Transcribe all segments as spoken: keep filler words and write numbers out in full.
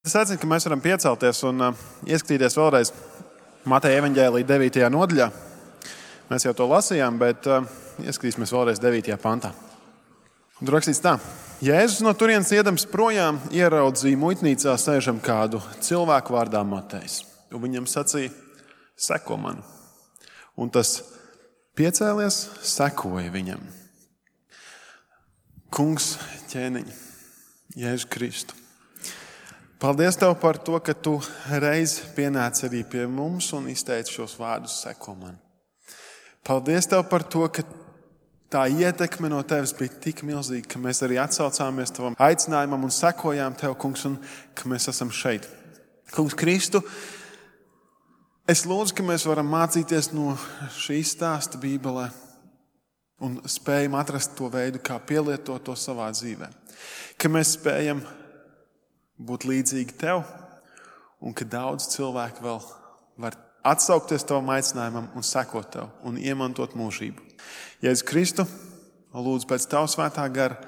Es aicinu, ka mēs varam piecelties un uh, ieskatīties vēlreiz Mateja evaņģēlija devītajā nodaļā. Mēs jau to lasījām, bet uh, ieskatīsimies vēlreiz devītajā pantā. Un tur rakstīts tā. Jēzus no turienes iedams projām ieraudzīja muitnīcā sēžam kādu cilvēku vārdā Matejs. Un viņam sacīja, seko man. Un tas piecēlies, sekoja viņam. Kungs, ķēniņ, Jēzus Kristu. Paldies Tev par to, ka Tu reiz pienāci arī pie mums un izteici šos vārdus seko man. Paldies Tev par to, ka tā ietekme no Tevis bija tik milzīga, ka mēs arī atsaucāmies Tavam aicinājumam un sekojām Tev, Kungs, un ka mēs esam šeit. Kungs Kristu, es lūdzu, ka mēs varam mācīties no šī stāsta Bībelē un spējam atrast to veidu, kā pielietot to savā dzīvē. Ka mēs spējam būt līdzīgi Tev, un ka daudz cilvēku vēl var atsaukties Tavam aicinājumam un sekot Tev un iemantot mūžību. Jēzus Kristu, lūdzu pēc Tava svētā gara,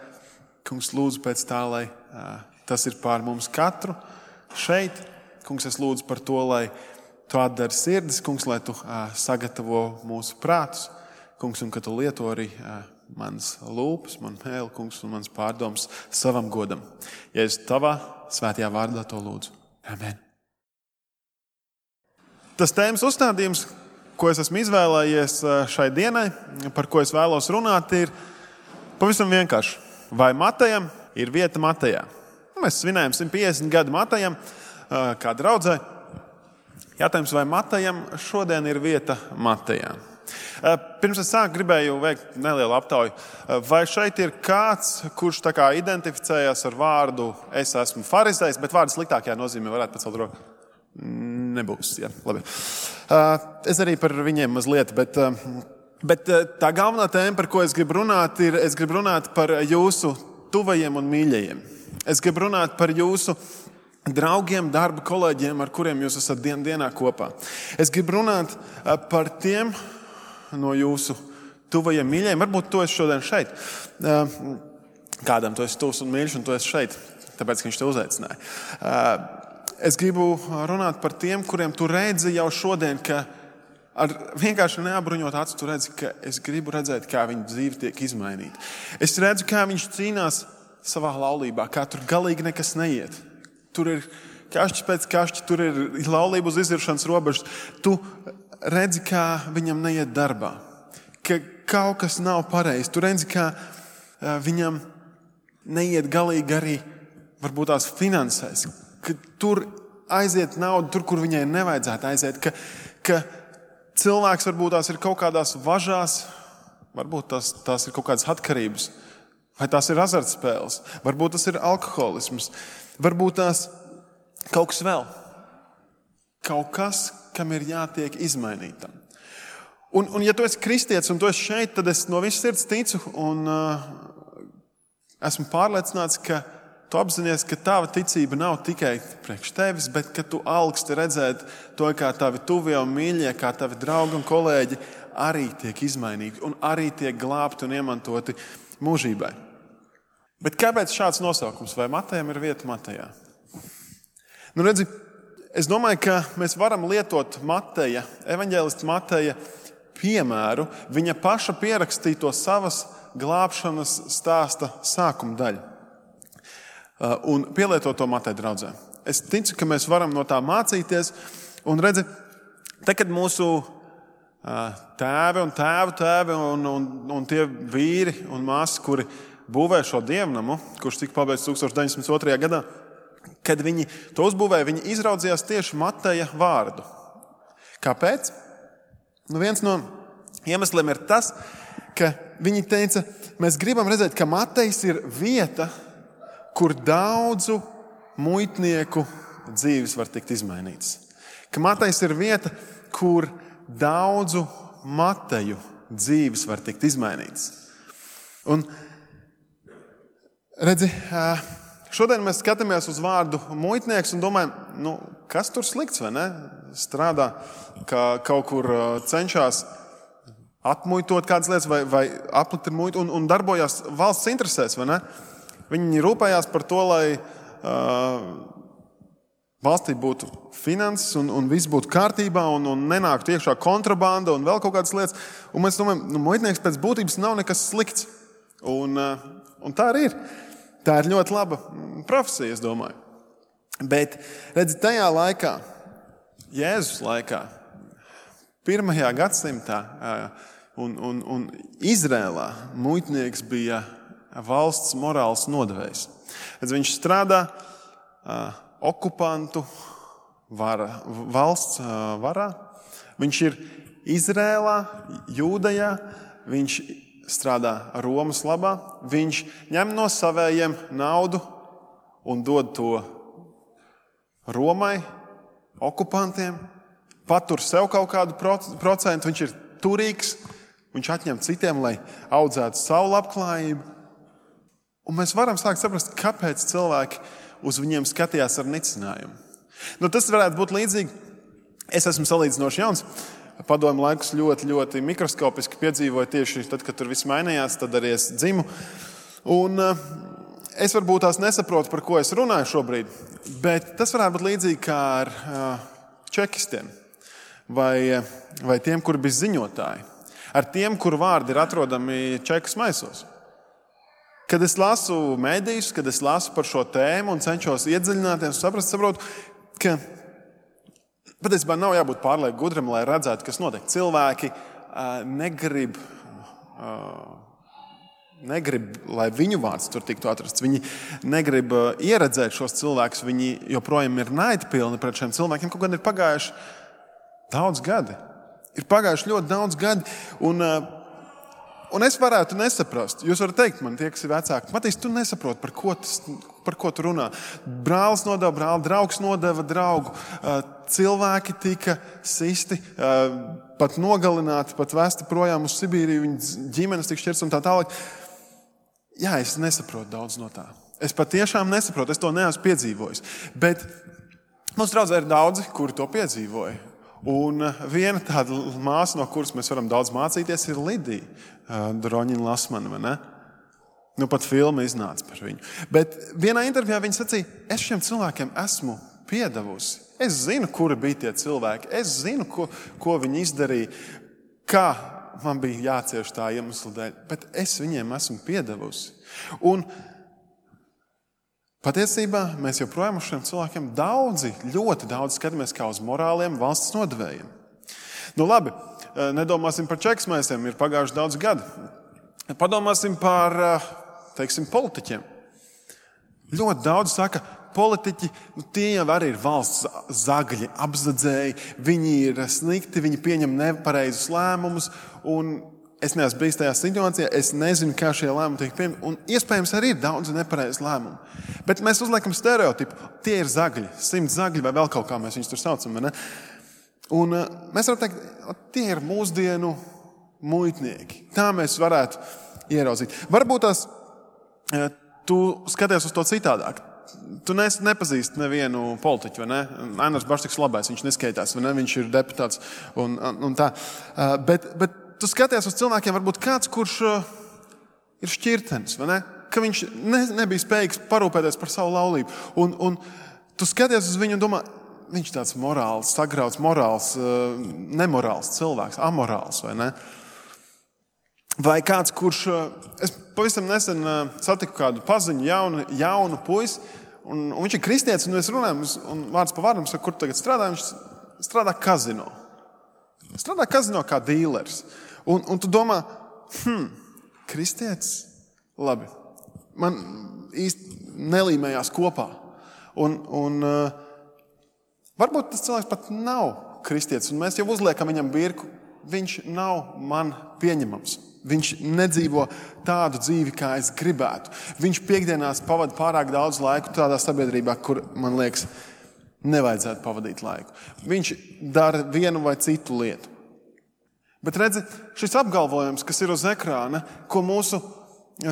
Kungs, lūdzu pēc tā, lai uh, tas ir pār mums katru šeit. Kungs, es lūdzu par to, lai Tu atdari sirdis, Kungs, lai Tu uh, sagatavo mūsu prātus, Kungs, un ka Tu lieto arī uh, manas lūpas, man mēli, Kungs, un mans pārdoms savam godam. Jēzus, Tavā svētajā vārdā to lūdzu. Amen. Tas tēmas uzstādījums, ko es esmu izvēlējies šai dienai, par ko es vēlos runāt, ir pavisam vienkārši. Vai Matejam ir vieta Matejā? Mēs svinējam simt piecdesmit gadu Matejam, kā draudzē. Jātājums, vai Matejam šodien ir vieta Matejā? Pirms es sāku, gribēju veikt nelielu aptauju. Vai šeit ir kāds, kurš tā kā identificējās ar vārdu es esmu farizejs, bet vārdu sliktākajā nozīmē varētu pacelt roku? Nebūs, jā, labi. Es arī par viņiem mazliet, bet, bet tā galvenā tēma, par ko es gribu runāt, ir, es gribu runāt par jūsu tuvajiem un mīļajiem. Es gribu runāt par jūsu draugiem, darba kolēģiem, ar kuriem jūs esat dien dienā kopā. Es gribu runāt par tiem no jūsu tuvajiem mīļajiem. Varbūt tu esi šodien šeit. Kādam tu esi tuvs un mīļš, un tu esi šeit, tāpēc, ka viņš te uzaicināja. Es gribu runāt par tiem, kuriem tu redzi jau šodien, ka ar vienkārši neapbruņot acu, tu redzi, ka es gribu redzēt, kā viņa dzīve tiek izmainīta. Es redzu, kā viņš cīnās savā laulībā, kā tur galīgi nekas neiet. Tur ir kašķis pēc kašķi, tur ir laulība uz iziršanas robežas. Tu redzi, kā viņam neiet darbā, ka kaut kas nav pareizi. Tu redzi, kā viņam neiet galīgi arī varbūt tās finansēs, ka tur aiziet nauda tur, kur viņai nevajadzētu aiziet, ka, ka cilvēks varbūt tās ir kaut kādās važās, varbūt tās, tās ir kaut kādas atkarības, vai tās ir azartspēles, varbūt tas ir alkoholisms, varbūt tās kaut kas vēl. Kaut kas, kam ir jātiek izmainītam. Un, un ja tu esi kristietis un tu esi šeit, tad es no visas sirds ticu un uh, esmu pārliecināts, ka tu apzinies, ka tava ticība nav tikai priekš tevis, bet ka tu augsti redzēt to, kā tavi tuvie un mīļie, kā tavi draugi un kolēģi arī tiek izmainīti un arī tiek glābti un iemantoti mūžībai. Bet kāpēc šāds nosaukums? Vai Matejam ir vieta Matejā? Nu redzi, es domāju, ka mēs varam lietot Mateja, evaņģēlista Mateja piemēru, viņa paša pierakstīto savas glābšanas stāsta sākuma daļu. Un pielietot to Mateja draudzē. Es ticu, ka mēs varam no tā mācīties. Un redzi, te, kad mūsu tēvi un tēvu tēvi un, un, un tie vīri un māsas, kuri būvē šo dievnamu, kurš tika pabeigts tūkstoš deviņsimt otrajā gadā, kad viņi to uzbūvēja, viņi izraudzījās tieši Mateja vārdu. Kāpēc? Nu, viens no iemesliem ir tas, ka viņi teica, mēs gribam redzēt, ka Matejs ir vieta, kur daudzu muitnieku dzīves var tikt izmainītas. Ka Matejs ir vieta, kur daudzu Mateju dzīves var tikt izmainītas. Un redzi, šodien mēs skatāmies uz vārdu muitnieks un domājam, nu, kas tur slikts, vai ne? Strādā, ka kaut kur cenšas atmuitot kādas lietas vai, vai aplikt ar muitu un, un darbojās valsts interesēs, vai ne? Viņi rūpējās par to, lai uh, valstī būtu finanses un, un viss būtu kārtībā un, un nenāktu iekšā kontrabanda un vēl kaut kādas lietas. Un mēs domājam, nu, muitnieks pēc būtības nav nekas slikts. Un, un tā arī ir. Tā ir ļoti laba profesija, es domāju. Bet, redzi, tajā laikā, Jēzus laikā, pirmajā gadsimtā un, un, un Izrēlā muitnieks bija valsts morāls nodevējs. Redzi, viņš strādā okupantu vara, valsts varā. Viņš ir Izrēlā, Jūdejā, viņš strādā Romas labā, viņš ņem no savējiem naudu un dod to Romai, okupantiem, patur sev kaut kādu procentu, viņš ir turīgs, viņš atņem citiem, lai audzētu savu labklājību. Un mēs varam sākt saprast, kāpēc cilvēki uz viņiem skatījās ar nicinājumu. Nu, tas varētu būt līdzīgi. Es esmu salīdzinoši jauns. Padomu laikus ļoti, ļoti mikroskopiski piedzīvoju tieši tad, kad tur viss mainījās, tad arī es dzimu. Un uh, es varbūt tās nesaprotu, par ko es runāju šobrīd, bet tas varētu būt līdzīgi kā ar uh, čekistiem vai, vai tiem, kuri bija ziņotāji. Ar tiem, kuru vārdi ir atrodami čekas maisos. Kad es lasu mēdījus, kad es lasu par šo tēmu un cenšos iedziļināties, saprast, saprotu, ka patiesībā nav jābūt pārlieku gudram, lai redzētu, kas notiek. Cilvēki uh, negrib, uh, negrib, lai viņu vārds tur tiktu atrasts. Viņi negrib uh, ieredzēt šos cilvēkus. Viņi joprojām ir naidpilni pret šiem cilvēkiem. Kaut gan ir pagājuši daudz gadi. Ir pagājuši ļoti daudz gadi. Un, uh, Un es varētu nesaprast. Jūs varat teikt man, tie, kas ir vecāki, Matīs, tu nesaproti, par ko, tas, par ko tu runā. Brālis nodeva brāli, draugs nodeva draugu. Cilvēki tika sisti, pat nogalināti, pat vesti projām uz Sibīriju, viņas ģimenes tika šķirts un tā tālāk. Jā, es nesaprotu daudz no tā. Es patiešām nesaprotu, es to neesmu piedzīvojis. Bet mums draudzē ir daudzi, kuri to piedzīvoja. Un viena tāda māsa, no kuras mēs varam daudz mācīties, ir Lidija Droņina Lasmana, vai ne? Nu, pat filma iznāca par viņu. Bet vienā intervijā viņa sacīja, es šiem cilvēkiem esmu piedevusi. Es zinu, kuri bija tie cilvēki. Es zinu, ko, ko viņi izdarīja, kā man bija jācieš tā iemesla dēļ. Bet es viņiem esmu piedevusi. Un patiesībā mēs joprojām uz šiem cilvēkiem daudzi, ļoti daudz skatāmies kā uz morāliem valsts nodevējiem. Nu labi, nedomāsim par čeksmēsiem, ir pagājuši daudz gadi. Padomāsim par, teiksim, politiķiem. Ļoti daudz saka, politiķi, nu, tie jau arī ir valsts zagļi, apzadzēji, viņi ir slikti, viņi pieņem nepareizus lēmumus, un es neesmu bijis tajā situācijā, es nezinu, kā šie lēmumi tiek pieņemti, un iespējams arī ir daudz nepareizu lēmumu. Bet mēs uzliekam stereotipu, tie ir zagļi, simts zagļi vai vēl kaut kā mēs viņus tur saucam, vai ne? Un uh, mēs varam teikt, tie ir mūsdienu muitnieki. Tā mēs varētu ieraudzīt. Varbūt tās, uh, tu skaties uz to citādāk. Tu nes, nepazīsti nevienu politiķu, vai ne? Ainars Baštiks labais, viņš neskaitās, vai ne? Viņš ir deputāts un, un, un tā. Uh, bet, bet tu skaties uz cilvēkiem, varbūt kāds, kurš uh, ir šķirtenis, vai ne? Ka viņš ne, nebija spējīgs parūpēties par savu laulību. Un, un tu skaties uz viņu un domā, viņš tāds morāls, sagrauts, morāls, uh, nemorāls cilvēks, amorāls, vai ne? Vai kāds, kurš, uh, es pavisam nesen uh, satiku kādu paziņu, jaunu, jaunu puisi, un, un viņš ir kristietis, un mēs runājam, un vārds pa vārdam, saka, kur tagad strādā, viņš strādā kazino. Strādā kazino kā dīlers. Un, un tu domā, hm, kristietis, labi, man īsti nelīmējās kopā. Un, un uh, varbūt tas cilvēks pat nav kristietis, un mēs jau uzliekam viņam birku, viņš nav man pieņemams. Viņš nedzīvo tādu dzīvi, kā es gribētu. Viņš piekdienās pavada pārāk daudz laiku tādā sabiedrībā, kur, man liekas, nevajadzētu pavadīt laiku. Viņš dara vienu vai citu lietu. Bet redzi, šis apgalvojums, kas ir uz ekrāna, ko mūsu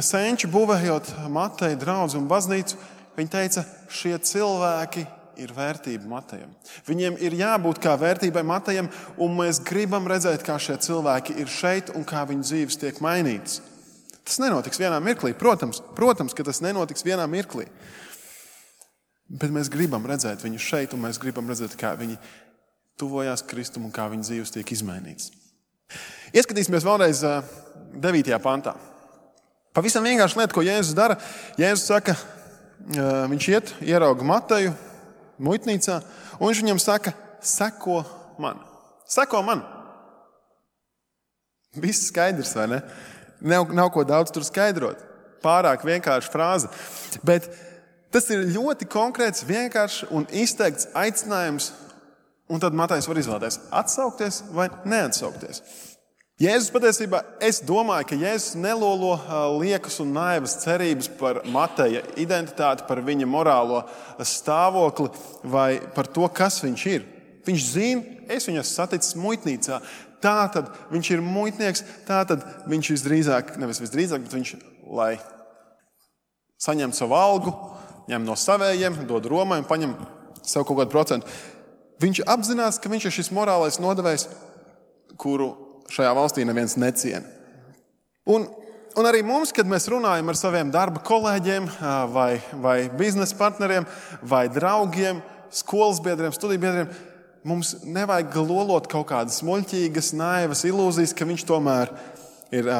senči būvējot Mateja draudzi un baznīcu, viņi teica, šie cilvēki ir vērtība Matejam. Viņiem ir jābūt kā vērtībai Matejam, un mēs gribam redzēt, kā šie cilvēki ir šeit un kā viņu dzīves tiek mainītas. Tas nenotiks vienā mirklī. Protams, protams, ka tas nenotiks vienā mirklī. Bet mēs gribam redzēt viņu šeit, un mēs gribam redzēt, kā viņi tuvojās Kristum un kā viņa dzīves tiek izmainīts. Ieskatīsimies vēlreiz devītajā pantā. Pavisam vienkārši lieta, ko Jēzus dara. Jēzus saka, viņš iet, ierauga Mateju muitnīcā, un viņš viņam saka, seko man. Seko man. Viss skaidrs, vai ne? Nav, nav ko daudz tur skaidrot. Pārāk vienkārša frāze. Bet tas ir ļoti konkrēts, vienkāršs un izteikts aicinājums, un tad Matejs var izvēlēties atsaukties vai neatsaukties. Jēzus patiesībā, es domāju, ka Jēzus nelolo liekas un naivas cerības par Mateja identitāti, par viņa morālo stāvokli vai par to, kas viņš ir. Viņš zina, es viņu esmu saticis muitnīcā. Tā tad viņš ir muitnieks, tā tad viņš visdrīzāk, nevis visdrīzāk, bet viņš, lai saņemtu savu algu, ņem no savējiem, dod Romai un paņem sev kaut kādu procentu. Viņš apzinās, ka viņš ir šis morālais nodevējs, kuru šajā valstī neviens neciena. Un, un arī mums, kad mēs runājam ar saviem darba kolēģiem vai, vai biznesa partneriem vai draugiem, skolas biedriem, studiju biedriem, mums nevajag lolot kaut kādas muļķīgas, naivas ilūzijas, ka viņš tomēr ir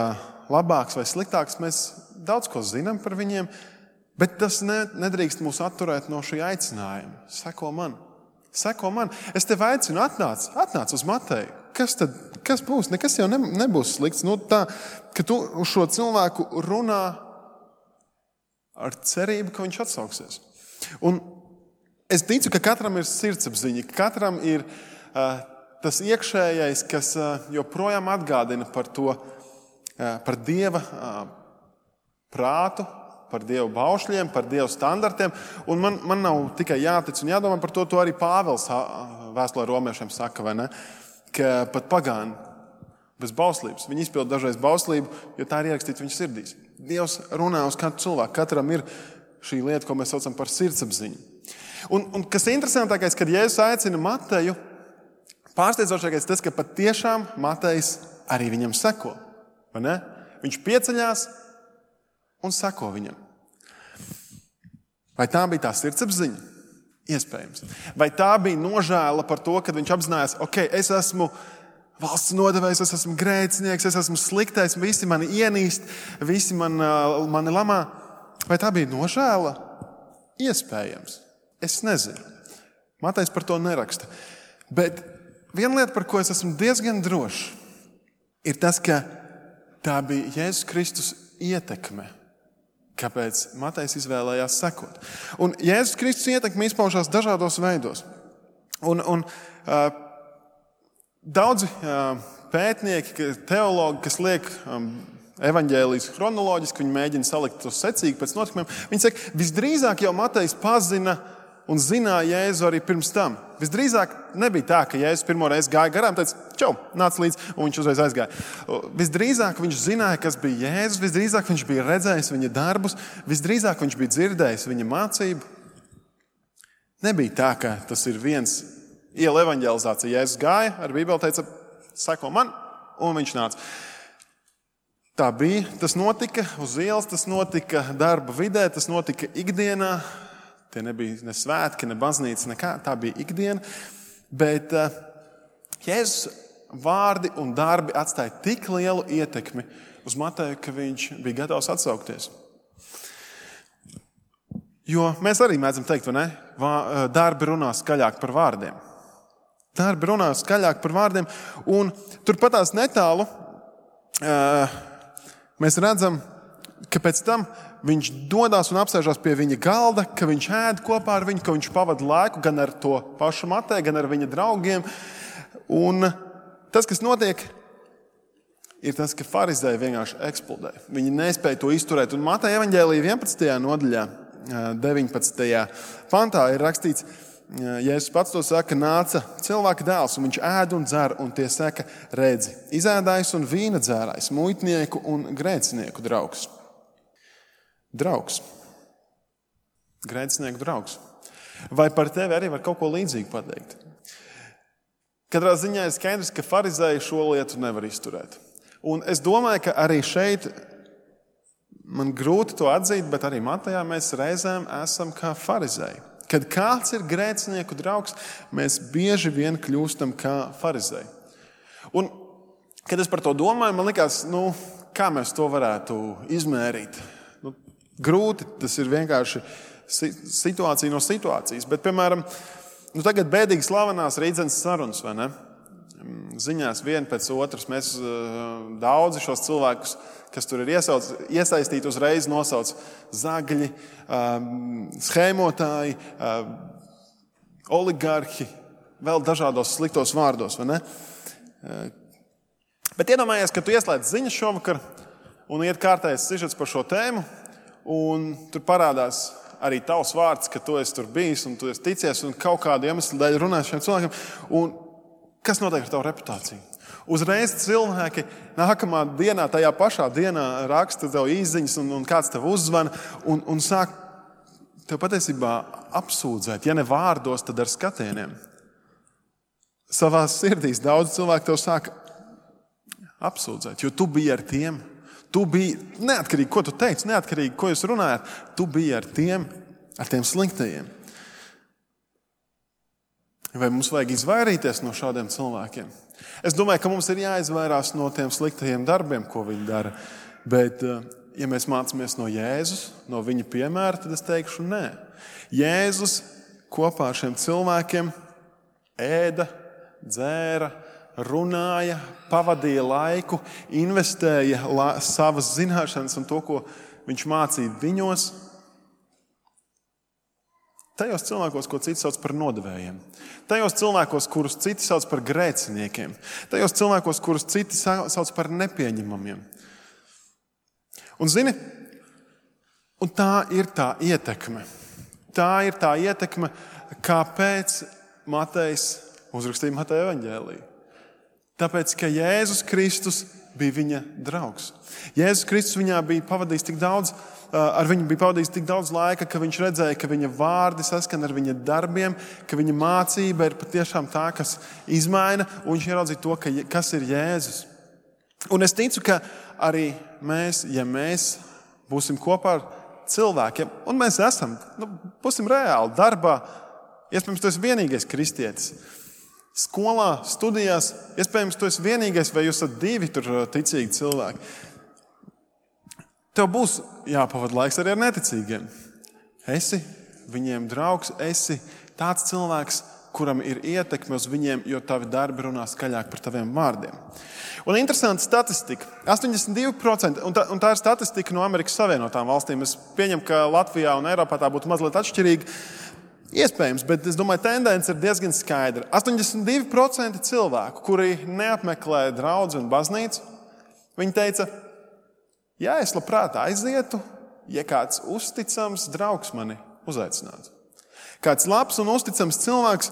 labāks vai sliktāks. Mēs daudz ko zinām par viņiem, bet tas nedrīkst mūs atturēt no šī aicinājuma. Seko man. Seko man. Es tev aicinu, atnāc, atnāc uz Mateju. Kas tad, kas būs? Nekas jau ne, nebūs slikts. Nu, tā, ka tu uz šo cilvēku runā ar cerību, ka viņš atsauksies. Un es ticu, ka katram ir sirdsapziņa, ka katram ir uh, tas iekšējais, kas uh, joprojām atgādina par to, uh, par Dieva uh, prātu, par Dieva baušļiem, par Dieva standartiem. Un man, man nav tikai jātic un jādomā par to, to arī Pāvils uh, vēstulē romiešiem saka, vai ne? Ka pat pagāni bez bauslības. Viņi izpilda dažreiz bauslību, jo tā ir ierakstīta viņa sirdīs. Dievs runā uz katru cilvēku. Katram ir šī lieta, ko mēs saucam par sirdsapziņu. Un, un kas ir interesantākais, kad Jēzus aicina Mateju, pārsteidzošākais tas, ka patiešām Matejs arī viņam seko. Vai ne? Viņš pieceļās un seko viņam. Vai tā bija tā sirdsapziņa? Iespējams. Vai tā bija nožēla par to, kad viņš apzinājās, ok, es esmu valsts nodevējs, es esmu grēcinieks, es esmu sliktais, visi mani ienīst, visi man, mani lamā. Vai tā bija nožēla? Iespējams. Es nezinu. Matejs par to neraksta. Bet viena lieta, par ko es esmu diezgan drošs, ir tas, ka tā bija Jēzus Kristus ietekme, kāpēc Matejs izvēlējās sekot. Un Jēzus Kristus ietekme izpaužās dažādos veidos. Un, un uh, daudzi uh, pētnieki, teologi, kas liek um, evaņģēlijas chronoloģiski, viņi mēģina salikt to secīgi pēc notikumiem, viņi saka, visdrīzāk jau Matejs pazina un zināja Jēzu arī pirms tam. Visdrīzāk nebija tā, ka Jēzus pirmo reizi gāja garām, teica, čau, nāc līdz, un viņš uzreiz aizgāja. Visdrīzāk viņš zināja, kas bija Jēzus, visdrīzāk viņš bija redzējis viņa darbus, visdrīzāk viņš bija dzirdējis viņa mācību. Nebija tā, ka tas ir viens iela evaņģelizācija. Jēzus gāja, ar Bībeli teica, seko man, un viņš nāca. Tā bija, tas notika uz ielas, tas notika darba vidē, tas notika ikdienā. Tie nebija ne svētki, ne baznīca, nekā. Tā bija ikdiena. Bet uh, Jēzus vārdi un darbi atstāja tik lielu ietekmi uz Mateju, ka viņš bija gatavs atsaukties. Jo mēs arī mēdzam teikt, vai ne? Vā, darbi runā skaļāk par vārdiem. Darbi runā skaļāk par vārdiem. Un turpatās netālu uh, mēs redzam, ka pēc tam viņš dodās un apsēžās pie viņa galda, ka viņš ēd kopā ar viņu, ka viņš pavada laiku gan ar to pašu Mateju, gan ar viņa draugiem. Un tas, kas notiek, ir tas, ka farizēji vienkārši eksplodē. Viņi nespēja to izturēt. Un Mateja evaņģēlija vienpadsmitajā nodaļā, deviņpadsmitajā pantā ir rakstīts, Jēzus pats to saka, nāca cilvēka dēls, un viņš ēd un dzer, un tie saka, redzi, izēdājs un vīna dzērājs, muitnieku un grēcinieku draugs. Draugs. Grēcinieku draugs. Vai par tevi arī var kaut ko līdzīgu pateikt? Katrā ziņā ir skaidrs, ka farizēji šo lietu nevar izturēt. Un es domāju, ka arī šeit man grūti to atzīt, bet arī Matejā mēs reizēm esam kā farizēji. Kad kāds ir grēcinieku draugs, mēs bieži vien kļūstam kā farizēji. Un, kad es par to domāju, man likās, nu, kā mēs to varētu izmērīt. Nu, grūti, tas ir vienkārši situācija no situācijas. Bet, piemēram, nu, tagad bēdīgi slavenās Rīdzenes sarunas, vai ne? Ziņās viena pēc otras. Mēs daudzi šos cilvēkus, kas tur ir iesauc, iesaistīti, uzreiz nosauc zagļi, schēmotāji, oligarhi, vēl dažādos sliktos vārdos, vai ne? Bet iedomājies, ka tu ieslēdz ziņas šovakar un iet kārtējais sižets par šo tēmu, un tur parādās arī tavs vārds, ka tu esi tur bijis un tu esi ticies un kaut kādu iemeslu dēļ runāju šiem cilvēkiem. Un kas notiek ar tavu reputāciju? Uzreiz cilvēki nākamā dienā, tajā pašā dienā raksta tev īsziņas un, un kāds tev uzzvana un, un sāk tev patiesībā apsūdzēt, ja ne vārdos, tad ar skatieniem. Savās sirdīs daudz cilvēku tev sāk apsūdzēt, jo tu biji ar tiem. Tu biji, neatkarīgi, ko tu teici, neatkarīgi, ko jūs runājat, tu biji ar tiem, ar tiem sliktajiem. Vai mums vajag izvairīties no šādiem cilvēkiem? Es domāju, ka mums ir jāizvairās no tiem sliktajiem darbiem, ko viņi dara. Bet, ja mēs mācāmies no Jēzus, no viņa piemēra, tad es teikšu nē. Jēzus kopā ar šiem cilvēkiem ēda, dzēra, runāja, pavadīja laiku, investēja la, savas zināšanas un to, ko viņš mācīja viņos. Tajos cilvēkos, ko citi sauc par nodevējiem. Tajos cilvēkos, kurus citi sauc par grēciniekiem. Tajos cilvēkos, kurus citi sauc par nepieņemamiem. Un zini, un tā ir tā ietekme. Tā ir tā ietekme, kāpēc Matejs uzrakstīja Mateja evaņģēliju. Tāpēc, ka Jēzus Kristus bija viņa draugs. Jēzus Kristus viņā bija pavadījis tik daudz, ar viņu bija pavadījis tik daudz laika, ka viņš redzēja, ka viņa vārdi saskan ar viņa darbiem, ka viņa mācība ir patiešām tā, kas izmaina, un viņš ieraudzīja to, ka, kas ir Jēzus. Un es ticu, ka arī mēs, ja mēs būsim kopā ar cilvēkiem, un mēs esam, nu, būsim reāli darbā, iespējams, tu esi vienīgais kristietis. Skolā, studijās, iespējams, tu esi vienīgais, vai jūs esat divi tur ticīgi cilvēki. Tev būs jāpavada laiks arī ar neticīgiem. Esi viņiem draugs, esi tāds cilvēks, kuram ir ietekme uz viņiem, jo tavi darbi runā skaļāk par taviem vārdiem. Un interesanta statistika. astoņdesmit divi procenti, un tā, un tā ir statistika no Amerikas Savienotām valstīm. Es pieņemu, ka Latvijā un Eiropā tā būtu mazliet atšķirīga. Iespējams, bet es domāju, tendence ir diezgan skaidra. astoņdesmit divi procenti cilvēku, kuri neapmeklē draudzi un baznīcu, viņi teica, ja es labprāt aizietu, ja kāds uzticams draugs mani uzaicinātu. Kāds labs un uzticams cilvēks,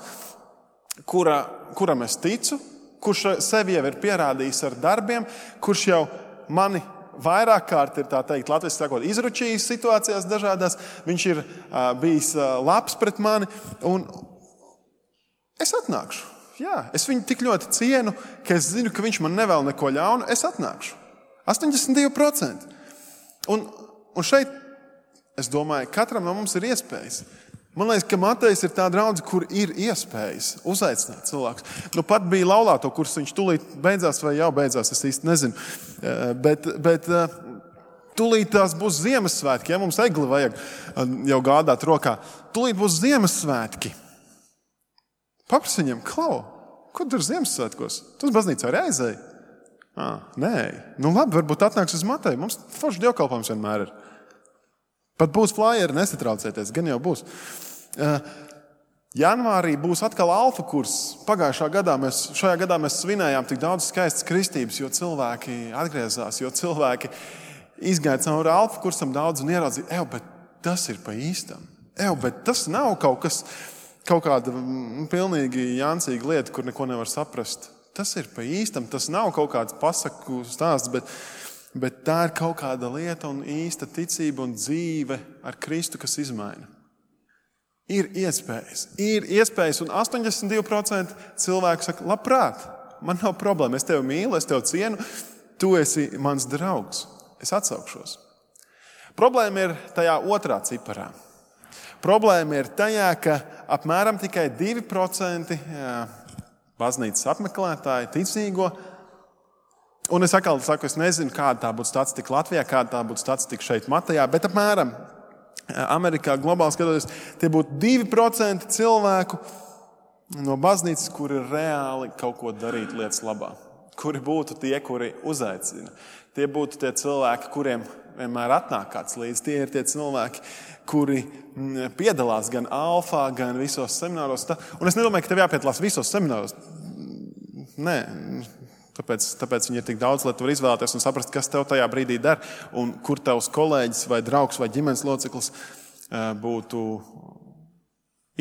kura, kuram es ticu, kurš sevi jau ir pierādījis ar darbiem, kurš jau mani vairāk kārt ir, tā teikt, latviski sakot, izručījis situācijās dažādās, viņš ir uh, bijis uh, labs pret mani, un es atnākšu. Jā, es viņu tik ļoti cienu, ka es zinu, ka viņš man nevēl neko ļaunu, es atnākšu. astoņdesmit divi procenti. Un, un šeit, es domāju, katram no mums ir iespējas. Man liekas, ka Matejs ir tā draudze, kur ir iespējas uzaicināt cilvēkus. Nu, pat bija laulāto kurs, viņš tūlīt beidzās vai jau beidzās, es īsti nezinu. Bet, bet tūlīt tās būs Ziemassvētki, ja mums egli vajag jau gādāt rokā. Tūlīt būs Ziemassvētki. Paprasi viņam, klau, ko tur Ziemassvētkos? Tu uz baznīcu arī aizēji? Ah, nē, nu labi, varbūt atnāks uz Mateju. Mums forši dievkalpojums vienmēr ir. Pat būs flyeri, nesatraucieties, gan jau būs. Uh, janvārī būs atkal alfa kurs. Pagājušā gadā mēs, šajā gadā mēs svinējām tik daudz skaistas kristības, jo cilvēki atgriezās, jo cilvēki izgāja cauri alfa kursam daudz un ieraudzīja, ev, bet tas ir pa īstam. Ev, bet tas nav kaut kas, kaut kāda mm, pilnīgi jancīga lieta, kur neko nevar saprast. Tas ir pa īstam, tas nav kaut kāds pasaku stāsts, bet Bet tā ir kaut kāda lieta un īsta ticība un dzīve ar Kristu, kas izmaina. Ir iespējas, ir iespējas, un astoņdesmit divi procenti cilvēku saka, labprāt, man nav problēma, es tevi mīlu, es tevi cienu, tu esi mans draugs, es atsaukšos. Problēma ir tajā otrā ciparā. Problēma ir tajā, ka apmēram tikai divi procenti baznīcas apmeklētāji ticīgo. Un es atkal saku, es nezinu, kāda tā būtu statistika Latvijā, kāda tā būtu statistika šeit Matejā, bet apmēram Amerikā globāli skatoties, tie būtu divi procenti cilvēku no baznīcas, kuri reāli kaut ko darīt lietas labā. Kuri būtu tie, kuri uzaicina. Tie būtu tie cilvēki, kuriem vienmēr atnāk kāds līdzi. Tie ir tie cilvēki, kuri piedalās gan alfā, gan visos semināros. Un es nedomāju, ka tev jāpiedalās visos semināros. Nē, tāpēc, tāpēc viņi ir tik daudz, lai tu vari izvēlēties un saprast, kas tev tajā brīdī der un kur tavs kolēģis vai draugs vai ģimenes loceklis būtu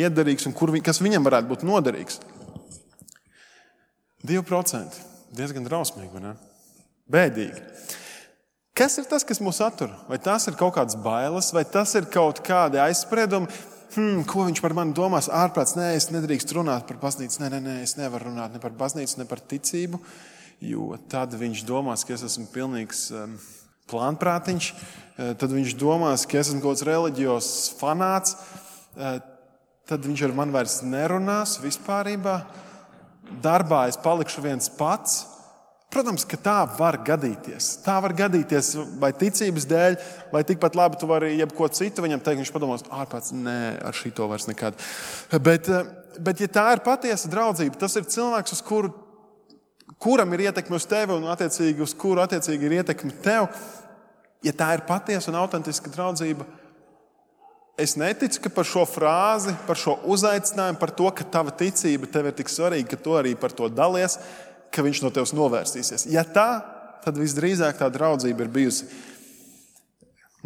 iederīgs un kur, kas viņam varētu būt noderīgs. Divi procenti. Diezgan drausmīgi, vai ne? Bēdīgi. Kas ir tas, kas mūs attur? Vai tas ir kaut kādas bailes, vai tas ir kaut kādi aizspriedumi? Hmm, ko viņš par mani domās? Ārprāts, nē, es nedrīkst runāt par baznīcu. Nē, nē, nē, es nevaru runāt ne par baznīcu, ne par ticību, jo tad viņš domās, ka es esmu pilnīgs um, plānprātiņš. Tad viņš domās, ka es esmu kaut kāds reliģijos fanāts. Tad viņš ar mani vairs nerunās vispārībā. Darbā es palikšu viens pats. Protams, ka tā var gadīties. Tā var gadīties vai ticības dēļ, vai tikpat labi tu vari jebko citu viņam teikt, viņš padomās, ārpēc, nē, ar šito vairs nekad. Bet, bet ja tā ir patiesa draudzība, tas ir cilvēks, uz kuru, kuram ir ietekme uz tevi un attiecīgi uz kuru attiecīgi ir ietekme tev. Ja tā ir patiesa un autentiska draudzība, es neticu, ka par šo frāzi, par šo uzaicinājumu, par to, ka tava ticība tev ir tik svarīga, ka tu arī par to dalies, ka viņš no tevis novērsīsies. Ja tā, tad visdrīzāk tā draudzība ir bijusi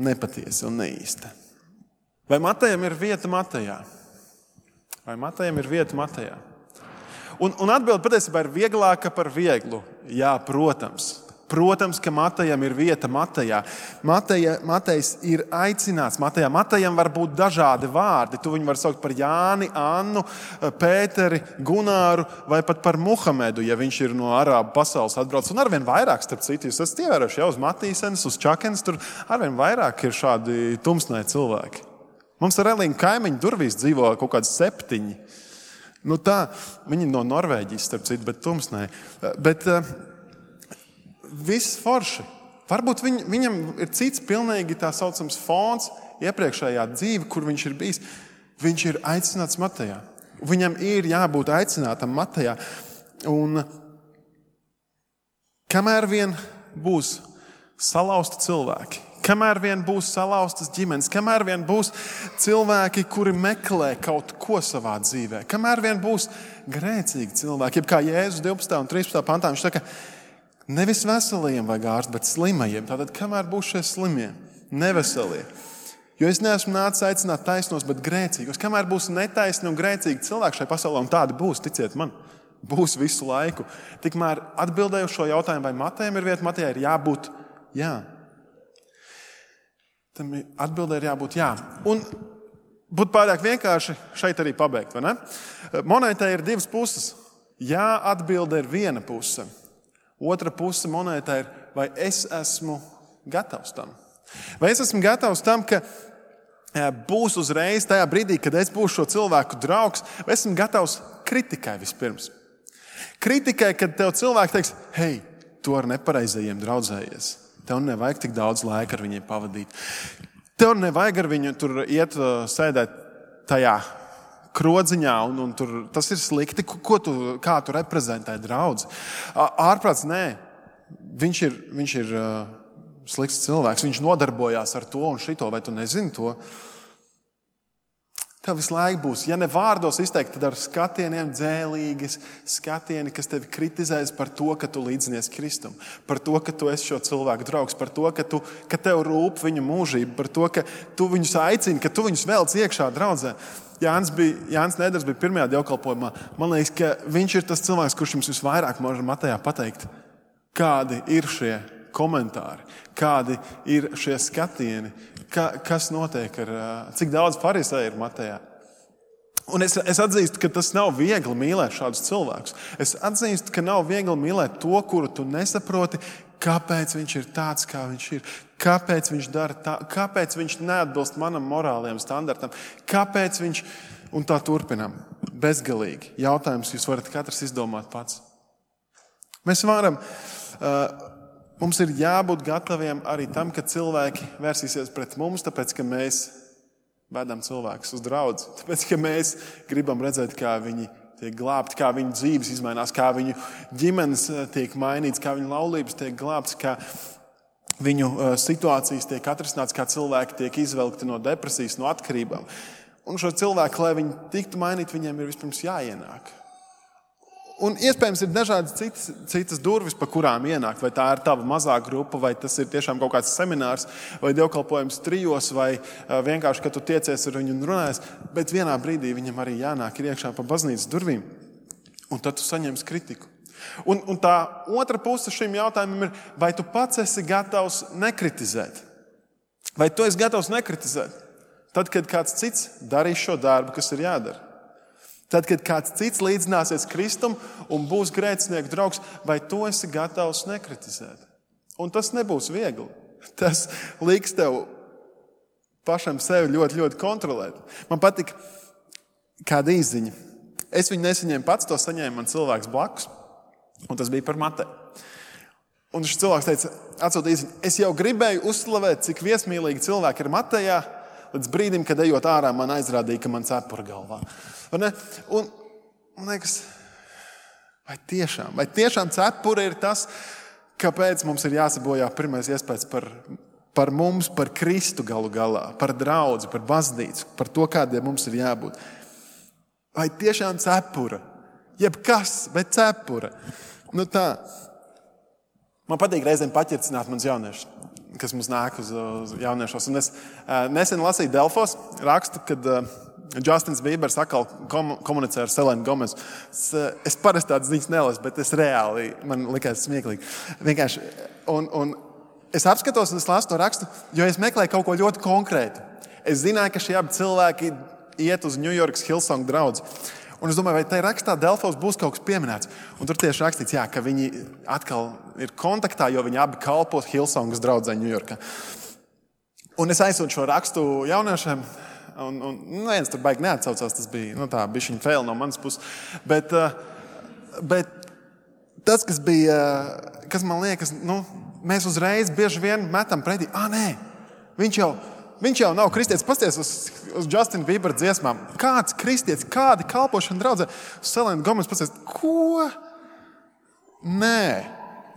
nepatiesa un neīsta. Vai Matejam ir vieta Matejā? Vai Matejam ir vieta Matejā? Un, un atbilde patiesībā ir vieglāka par vieglu. Jā, protams. Protams, ka Matejam ir vieta Matejā. Mateja, Matejs ir aicināts Matejā. Matejam var būt dažādi vārdi. Tu viņu var saukt par Jāni, Annu, Pēteri, Gunāru vai pat par Muhamedu, ja viņš ir no arābu pasaules atbraucis. Un arvien vairāk, starp citu, jūs esat ievērojuši jau uz Matīsenes, uz Čakenes, tur arvien vairāk ir šādi tumsnai cilvēki. Mums ar Elīnu kaimiņu durvīs dzīvo kaut kādi septiņi. Nu tā, viņi no Norvēģijas, starp citu, bet tumsnai. Bet viss forši. Varbūt viņ, viņam ir cits pilnīgi tā saucams fons iepriekšējā dzīve, kur viņš ir bijis. Viņš ir aicināts Matejā. Viņam ir jābūt aicinātam Matejā. Un kamēr vien būs salauzti cilvēki, kamēr vien būs salauztas ģimenes, kamēr vien būs cilvēki, kuri meklē kaut ko savā dzīvē, kamēr vien būs grēcīgi cilvēki, jeb kā Jēzus divpadsmitajā un trīspadsmitajā pantā, viņš saka, nevis veselajiem vajag ārstu, bet slimajiem. Tātad, kamēr būs šie slimie, neveselie. Jo es neesmu nācis aicināt taisnos, bet grēcīgos. Kamēr būs netaisni un grēcīgi cilvēki šai pasaulē, un tādi būs, ticiet man, būs visu laiku. Tikmēr atbildēju šo jautājumu, vai Matejam ir vieta, Matejā ir jābūt jā. Tam atbildē ir jābūt jā. Un būtu pārāk vienkārši šeit arī pabeigt, vai ne? Monētai ir divas puses. Jā, atbilde ir viena puse. Otra puse monētā ir, vai es esmu gatavs tam. Vai es esmu gatavs tam, ka būs uzreiz tajā brīdī, kad es būšu šo cilvēku draugs, vai esmu gatavs kritikai vispirms. Kritikai, kad tev cilvēki teiks, hei, tu ar nepareizajiem draudzējies. Tev nevajag tik daudz laika ar viņiem pavadīt. Tev nevajag ar viņu tur iet sēdēt tajā krodziņā, un, un tur, tas ir slikti, ko tu, kā tu reprezentē draudzi. Ārprāts, nē, viņš ir, viņš ir uh, slikts cilvēks, viņš nodarbojās ar to un šito, vai tu nezini to? Tev visu laiku būs, ja ne vārdos izteikt, tad ar skatieniem dzēlīgas skatieni, kas tevi kritizēs par to, ka tu līdzinies Kristum, par to, ka tu esi šo cilvēku draugs, par to, ka, tu, ka tev rūp viņu mūžība, par to, ka tu viņus aicini, ka tu viņus velc iekšā draudzē. Jānis, bija, Jānis Neders bija pirmajā dievkalpojumā. Man liekas, ka viņš ir tas cilvēks, kurš jums visvairāk var Matejā pateikt, kādi ir šie komentāri, kādi ir šie skatieni, ka, kas notiek ar, cik daudz farisēju ir Matejā. Un es, es atzīstu, ka tas nav viegli mīlēt šādus cilvēkus. Es atzīstu, ka nav viegli mīlēt to, kuru tu nesaproti, kāpēc viņš ir tāds, kā viņš ir, kāpēc viņš dara tā, kāpēc viņš neatbilst manam morāliem standartam, kāpēc viņš, un tā turpinām. Bezgalīgi. Jautājums jūs varat katrs izdomāt pats. Mēs varam, uh, mums ir jābūt gataviem arī tam, ka cilvēki vērsīsies pret mums, tāpēc, ka mēs vedam cilvēkus uz draudzi, tāpēc, ka mēs gribam redzēt, kā viņi tiek glābti, kā viņu dzīves izmainās, kā viņu ģimenes tiek mainīts, kā viņu laulības tiek glābtas, kā viņu situācijas tiek atrisināts, kā cilvēki tiek izvelkti no depresijas, no atkarībām. Un šo cilvēku, lai viņi tiktu mainīti, viņiem ir vispirms jāienāk. Un iespējams ir dažādas citas, citas durvis, pa kurām ienākt. Vai tā ir tava mazā grupa, vai tas ir tiešām kaut kāds seminārs, vai dievkalpojums trijos, vai vienkārši, kad tu tiecies ar viņu un runājies. Bet vienā brīdī viņam arī jānāk ir iekšā pa baznīcas durvīm. Un tad tu saņemsi kritiku. Un, un tā otra puse šim jautājumam ir, vai tu pats esi gatavs nekritizēt? Vai tu esi gatavs nekritizēt? Tad, kad kāds cits darīs šo darbu, kas ir jādara. Tad, kad kāds cits līdzināsies Kristum un būs grēcinieku draugs, vai tu esi gatavs nekritizēt? Un tas nebūs viegli. Tas liks tev pašam sevi ļoti, ļoti kontrolēt. Man patika kāda īsziņa. Es viņu nesaņēmu pats, to saņēma man cilvēks blakus, un tas bija par Mateju. Un šis cilvēks teica, atsūta īsziņu, es jau gribēju uzslavēt, cik viesmīlīgi cilvēki ir Matejā, līdz brīdim, kad ejot ārā, man aizrādīja, ka man cepura galvā. Un, un man liekas, vai tiešām, vai tiešām cepura ir tas, kāpēc mums ir jāsabojā pirmais iespējas par, par mums, par Kristu galu galā, par draudzi, par baznīcu, par to, kādiem mums ir jābūt. Vai tiešām cepura? Jebkas, bet cepura. Nu tā. Man patīk reizēm paķercināt mans jauniešus, kas mums nāk uz, uz jauniešos. Un es uh, nesen lasīju Delfos rakstu, kad uh, Justins Bībers atkal kom, komunicē ar Selenu Gomezu. Es, uh, es parasti tādas ziņas nelasu, bet es reāli, man likās smieklīgi. Vienkārši, un, un es apskatos un es lasu to rakstu, jo es meklēju kaut ko ļoti konkrētu. Es zināju, ka šie abi cilvēki iet uz New Yorkas Hillsong draudzi. Un es domāju, vai tajā rakstā Delfos būs kaut kas pieminēts. Un tur tieši rakstīts, jā, ka viņi atkal ir kontaktā, jo viņi abi kalpo Hillsongas draudzē Ņujorkā. Un es aizsūtu šo rakstu jauniešiem, un, un neviens tur baigi neatsaucās, tas bija, nu tā, bišķiņ fail no manas puses. Bet, bet tas, kas bija, kas man liekas, nu, mēs uzreiz bieži vien metam pretī, ā, nē, viņš jau, viņš jau nav kristietis. Pasties uz, uz Justina Biebera dziesmām. Kāds kristietis, kādi kalpošana draudzē? Selena Gomez pasties, ko? Nē,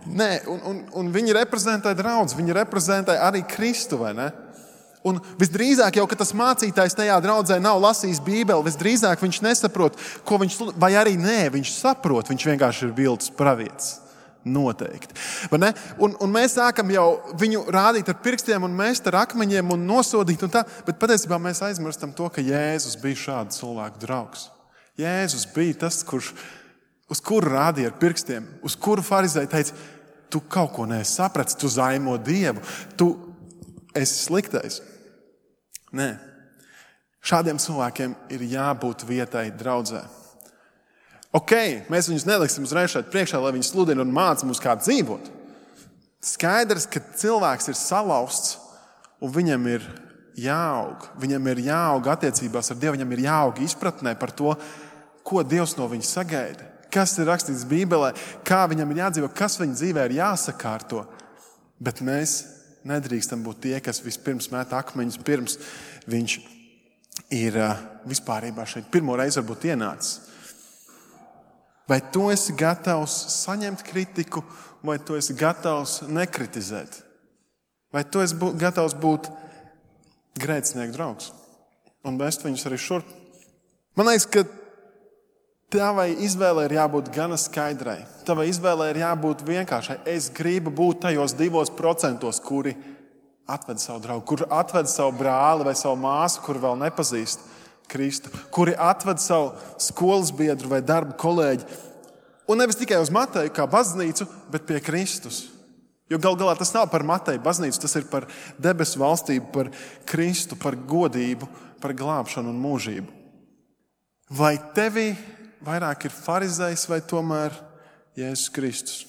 nē. Un, un, un viņi reprezentē draudzi, viņi reprezentē arī Kristu, vai ne? Un visdrīzāk jau, ka tas mācītājs tajā draudzē nav lasījis Bībeli, visdrīzāk viņš nesaprot, ko viņš, vai arī nē, viņš saprot, viņš vienkārši ir viltus pravietis. Noteikti. Un, un mēs sākam jau viņu rādīt ar pirkstiem un mēst ar akmeņiem un nosodīt un tā, bet patiesībā mēs aizmirstam to, ka Jēzus bija šādu cilvēku draugs. Jēzus bija tas, kurš, uz kuru rādīja ar pirkstiem, uz kuru farizēji teica, tu kaut ko neesi sapratis, tu zaimo Dievu, tu esi sliktais. Nē. Šādiem cilvēkiem ir jābūt vietai draudzē. Ok, mēs viņus neliksim uzreiz šeit priekšā, lai viņi sludina un māca mums, kā dzīvot. Skaidrs, ka cilvēks ir salauzts un viņam ir jāaug. Viņam ir jāaug attiecībās ar Dievu, viņam ir jāaug izpratnē par to, ko Dievs no viņa sagaida. Kas ir rakstīts Bībelē, kā viņam ir jādzīvo, kas viņa dzīvē ir jāsakārto. Bet mēs nedrīkstam būt tie, kas vispirms met akmeņus, pirms viņš ir vispārībā šeit pirmo reizi varbūt ienācis. Vai tu esi gatavs saņemt kritiku, vai tu esi gatavs nekritizēt? Vai tu esi būt, gatavs būt grēcinieku draugs un vest viņus arī šurp? Man liekas, ka tavai izvēlei ir jābūt gana skaidrai. Tavai izvēlei ir jābūt vienkāršai. Es gribu būt tajos divos procentos, kuri atved savu draugu, kuri atved savu brāli vai savu māsu, kuri vēl nepazīst Kristu, kuri atved savu skolas biedru vai darba kolēģi. Un nevis tikai uz Mateju kā baznīcu, bet pie Kristus. Jo gal galā tas nav par Mateju baznīcu, tas ir par debesu valstību, par Kristu, par godību, par glābšanu un mūžību. Vai tevī vairāk ir farizejs vai tomēr Jēzus Kristus?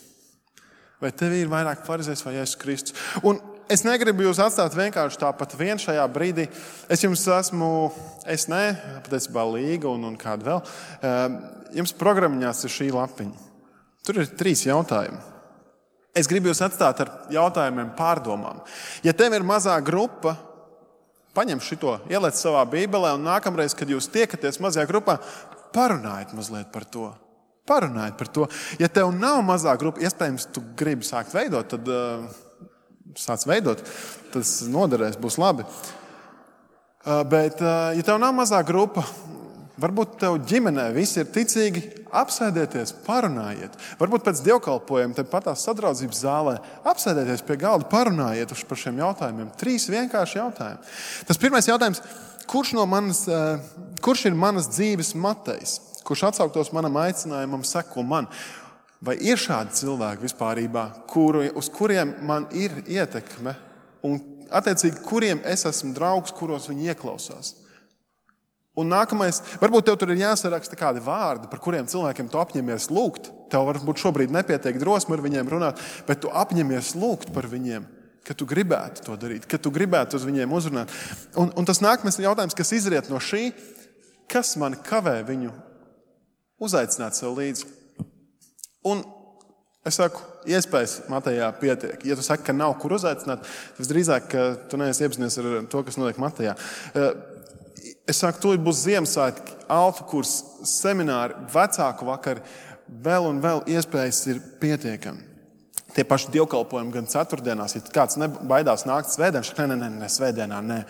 Vai tev ir vairāk farizējs vai Jēzus Kristus? Un es negribu jūs atstāt vienkārši tāpat vien šajā brīdī. Es jums esmu, es ne, patiesībā Līga un, un kāda vēl. Jums programmiņās ir šī lapiņa. Tur ir trīs jautājumi. Es gribu jūs atstāt ar jautājumiem pārdomām. Ja tev ir mazā grupa, paņem šito, ieliec savā bībelē un nākamreiz, kad jūs tiekaties mazajā grupā, parunājiet mazliet par to. Parunājiet par to. Ja tev nav mazā grupa, iespējams, tu gribi sākt veidot, tad uh, sāc veidot. Tas noderēs, būs labi. Uh, bet, uh, ja tev nav mazā grupa, varbūt tev ģimenē visi ir ticīgi, apsēdieties, parunājiet. Varbūt pēc dievkalpojuma te patās sadraudzības zālē apsēdieties pie galda, parunājiet par šiem jautājumiem. Trīs vienkārši jautājumi. Tas pirmais jautājums, kurš, no manas, uh, kurš ir manas dzīves Matejs? Kurš atsauktos manam aicinājumam, seko man? Vai ir šādi cilvēki vispārībā, kuru, uz kuriem man ir ietekme un attiecīgi, kuriem es esmu draugs, kuros viņi ieklausās? Un nākamais, varbūt tev tur ir jāsaraksta kādi vārdi, par kuriem cilvēkiem tu apņemies lūgt. Tev varbūt šobrīd nepietiek drosme ar viņiem runāt, bet tu apņemies lūgt par viņiem, ka tu gribētu to darīt, ka tu gribētu uz viņiem uzrunāt. Un, un tas nākamais jautājums, kas izriet no šī, kas mani kavē viņu uzaicināt sev līdzi. Un es saku, iespējas Matejā pietiek. Ja tu saki, ka nav kur uzaicināt, tas drīzāk, ka tu neesi iepazinies ar to, kas notiek Matejā. Es saku, tūlīt būs Ziemassvētki, alfa kurs, semināri, vecāku vakari, vēl un vēl iespējas ir pietiekami. Tie paši dievkalpojumi gan ceturtdienās, ja kāds baidās nākt svētdienā, šak, ne, ne, ne, ne, svētdienā, ne.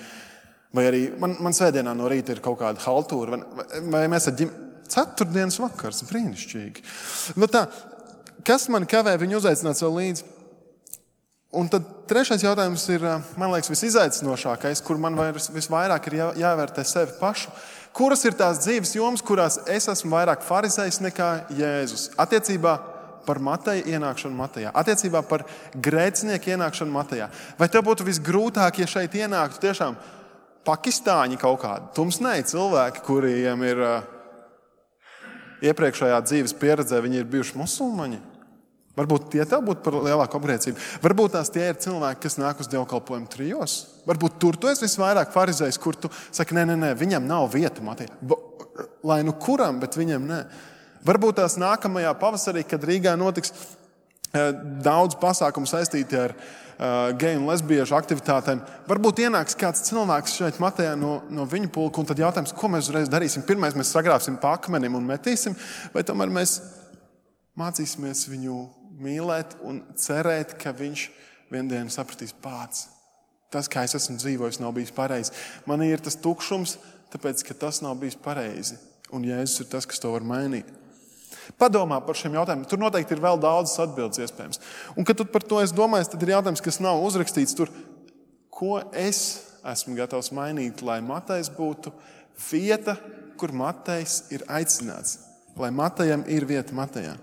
Vai arī man, man svētdienā no rīta ir kaut kāda haltūra, vai, vai mēs ar ģim... Ceturtdienas vakars, brīnišķīgi. Nu tā, kas man kavē viņu uzaicināt sev līdzi? Un tad trešais jautājums ir, man liekas, visizaicinošākais, kur man visvairāk ir jā, jāvērtē sevi pašu. Kuras ir tās dzīves jomas, kurās es esmu vairāk farizējs nekā Jēzus? Attiecībā par Mateju ienākšanu Matejā. Attiecībā par grēcinieku ienākšanu Matejā. Vai tev būtu visgrūtāk, ja šeit ienāktu tiešām pakistāņi kaut kādi? Tumsnēji cilvēki, kuriem ir iepriekšējā dzīves pieredzē, viņi ir bijuši musulmaņi. Varbūt tie tev būtu par lielāku apgrēcību. Varbūt tās tie ir cilvēki, kas nāk uz dievkalpojumu trijos. Varbūt tur tu esi visvairāk farizējs, kur tu saki, nē, nē, nē, viņam nav vieta Matejā. Lai nu kuram, bet viņam nē. Varbūt tās nākamajā pavasarī, kad Rīgā notiks daudz pasākumu saistīti ar uh, geju un lesbiešu aktivitātēm, varbūt ienāks kāds cilvēks šeit Matejā no, no viņu pulka, un tad jautājums, ko mēs uzreiz darīsim? Pirmais mēs sagrābsim pa akmenim un metīsim, vai tomēr mēs mācīsimies viņu mīlēt un cerēt, ka viņš viendien sapratīs pats. Tas, kā es esmu dzīvojis, nav bijis pareizi. Man ir tas tukšums, tāpēc, ka tas nav bijis pareizi. Un Jēzus ir tas, kas to var mainīt. Padomā par šiem jautājumiem. Tur noteikti ir vēl daudzas atbildes iespējams. Un, kad tu par to esi domājis, tad ir jautājums, kas nav uzrakstīts tur. Ko es esmu gatavs mainīt, lai Matejs būtu vieta, kur Matejs ir aicināts? Lai Matejam ir vieta Matejā.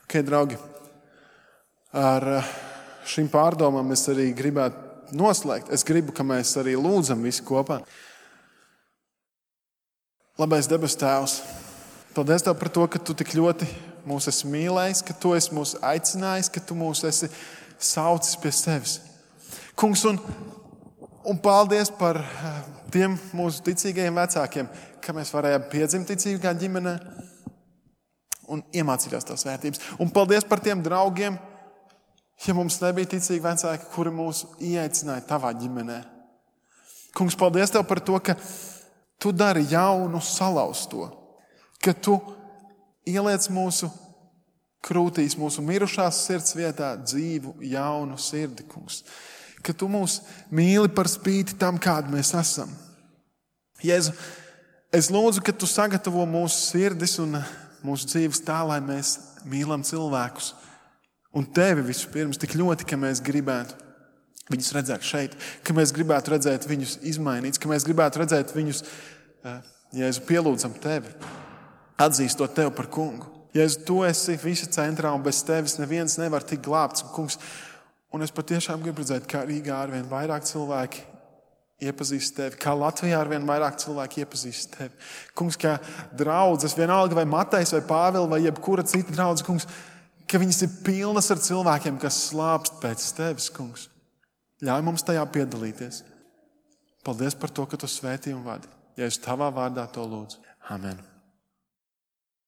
Ok, draugi, ar šīm pārdomām es arī gribētu noslēgt. Es gribu, ka mēs arī lūdzam visi kopā. Labais debes Tēvs, paldies Tev par to, ka Tu tik ļoti mūs esi mīlējis, ka Tu esi mūs aicinājis, ka Tu mūs esi saucis pie sevis. Kungs, un, un paldies par tiem mūsu ticīgajiem vecākiem, ka mēs varējām piedzimt ticīgā ģimenē un iemācījās tās vērtības. Un paldies par tiem draugiem, ja mums nebija ticīgi vecāki, kuri mūs ieaicināja Tavā ģimenē. Kungs, paldies Tev par to, ka Tu dari jaunu salauzto, ka Tu ieliec mūsu krūtīs, mūsu mirušās sirds vietā dzīvu, jaunu sirdi, Kungs. Ka Tu mūs mīli par spīti tam, kādi mēs esam. Jēzu, es lūdzu, ka Tu sagatavo mūsu sirdis un mūsu dzīves tā, lai mēs mīlam cilvēkus. Un Tevi vispirms tik ļoti, ka mēs gribētu viņus redzēt šeit, ka mēs gribētu redzēt viņus izmainīts, ka mēs gribētu redzēt viņus, Jēzu, pielūdzam Tevi, atzīstot Tevi par kungu. Jēzu, Tu esi visa centrā un bez Tevis neviens nevar tikt glābts. Un, kungs, un es patiešām gribu redzēt, kā Rīgā arvien vairāk cilvēki iepazīst Tevi, kā Latvijā arvien vairāk cilvēki iepazīst Tevi. Kungs, kā draudzes, vienalga vai Matejs vai Pāvils vai jebkura cita draudze, kungs, ka viņas ir pilnas ar cilvēkiem, kas slāpst pēc tevis, kungs. Ļauj mums tajā piedalīties. Paldies par to, ka tu svētī un vadi. Ja es tavā vārdā to lūdzu. Amen.